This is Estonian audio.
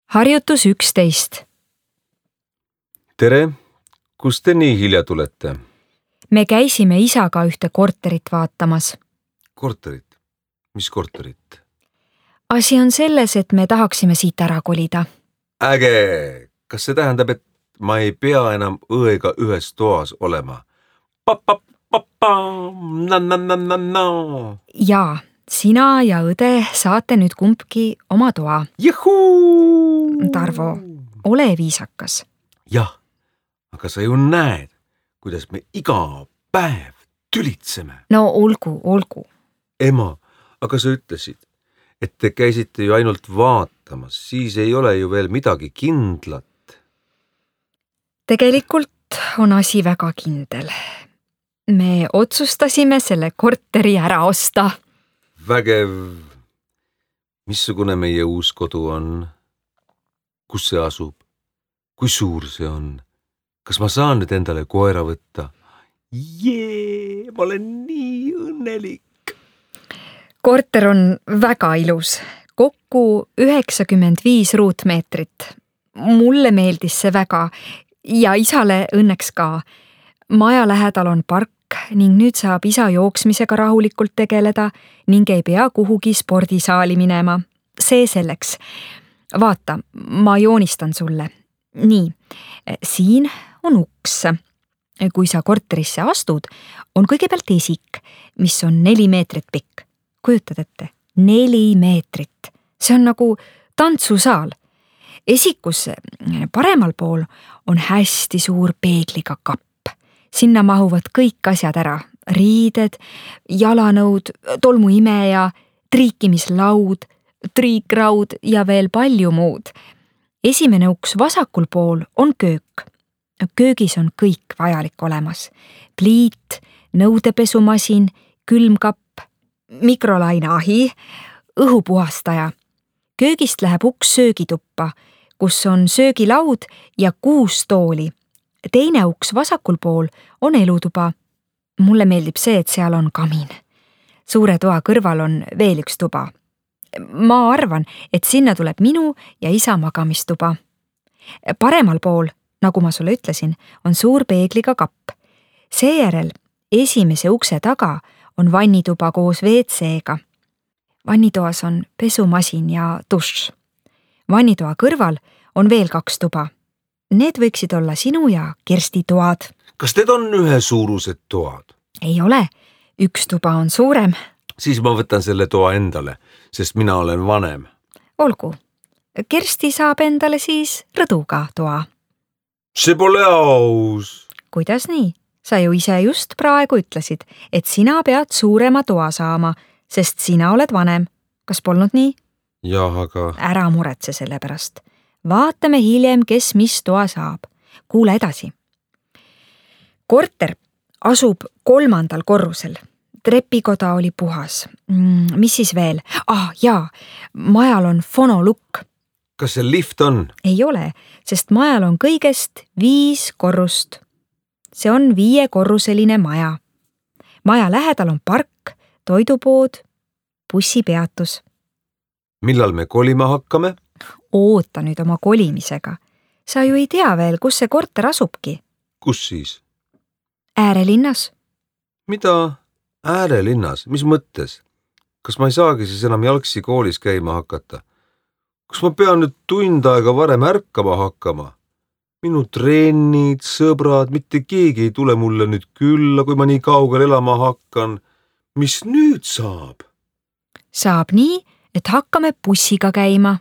Harjutus 11. Tere, kust te nii hilja tulete? Me käisime isaga ühte korterit vaatamas. Korterit? Mis korterit? Asi on selles, et me tahaksime siit ära kolida. Äge! Kas see tähendab, et ma ei pea enam õega ühes toas olema? Jaa, sina ja õde saate nüüd kumbki oma toa. Juhuu! Tarvo, ole viisakas. Jah, aga sa ju näed, kuidas me iga päev tülitseme. No olgu. Ema, aga sa ütlesid, et te käisite ju ainult vaatamas, siis ei ole ju veel midagi kindlat. Tegelikult on asi väga kindel. Me otsustasime selle korteri ära osta. Vägev. Missugune meie uus kodu on? Kus see asub? Kui suur see on? Kas ma saan nüüd endale koera võtta? Jee, ma olen nii õnnelik. Korter on väga ilus. Kokku 95 ruutmeetrit. Mulle meeldis see väga ja isale õnneks ka. Maja lähedal on park ning nüüd saab isa jooksmisega rahulikult tegeleda ning ei pea kuhugi spordisaali minema. See selleks. Vaata, ma joonistan sulle. Nii, siin on uks. Kui sa korterisse astud, on kõigepealt esik, mis on 4 meetrit pikk. Kujutad ette, 4 meetrit. See on nagu tantsusaal. Esikus paremal pool on hästi suur peegliga kapp. Sinna mahuvad kõik asjad ära. Riided, jalanõud, tolmuimeja, triikimislaud, triikraud ja veel palju muud. Esimene uks vasakul pool on köök. Köögis on kõik vajalik olemas. Pliit, nõudepesumasin, külmkapp, mikrolaineahi, õhupuhastaja. Köögist läheb uks söögituppa, kus on söögilaud ja 6 tooli. Teine uks vasakul pool on elutuba. Mulle meeldib see, et seal on kamin. Suure toa kõrval on veel üks tuba. Ma arvan, et sinna tuleb minu ja isa magamistuba. Paremal pool, nagu ma sulle ütlesin, on suur peegliga kapp. Seejärel esimese ukse taga on vannituba koos WC-ga. Vannitoas on pesumasin ja dušš. Vannitoa kõrval on veel 2 tuba. Need võiksid olla sinu ja Kersti toad. Kas need on ühesuurused toad? Ei ole. Üks tuba on suurem. Siis ma võtan selle toa endale, sest mina olen vanem. Olgu. Kersti saab endale siis rõduga toa. See pole aus. Kuidas nii? Sa ju ise just praegu ütlesid, et sina pead suurema toa saama, sest sina oled vanem. Kas polnud nii? Jah, aga... Ära muretse selle pärast. Vaatame hiljem, kes mis toa saab. Kuule edasi. Korter asub 3. korrusel. Trepikoda oli puhas. Mis siis veel? Jaa, majal on fonolukk. Kas see lift on? Ei ole, sest majal on kõigest 5 korrust. See on 5-korruseline maja. Maja lähedal on park, toidupood, bussipeatus. Millal me kolima hakkame? Oota nüüd oma kolimisega. Sa ju ei tea veel, kus see korter asubki. Kus siis? Äärelinnas. Mida? Äärelinnas? Mis mõttes? Kas ma ei saagi siis enam jalgsi koolis käima hakata? Kas ma pean nüüd tund aega varem ärkama hakkama? Minu trennid, sõbrad, mitte keegi ei tule mulle nüüd külla, kui ma nii kaugel elama hakkan. Mis nüüd saab? Saab nii, et hakkame bussiga käima.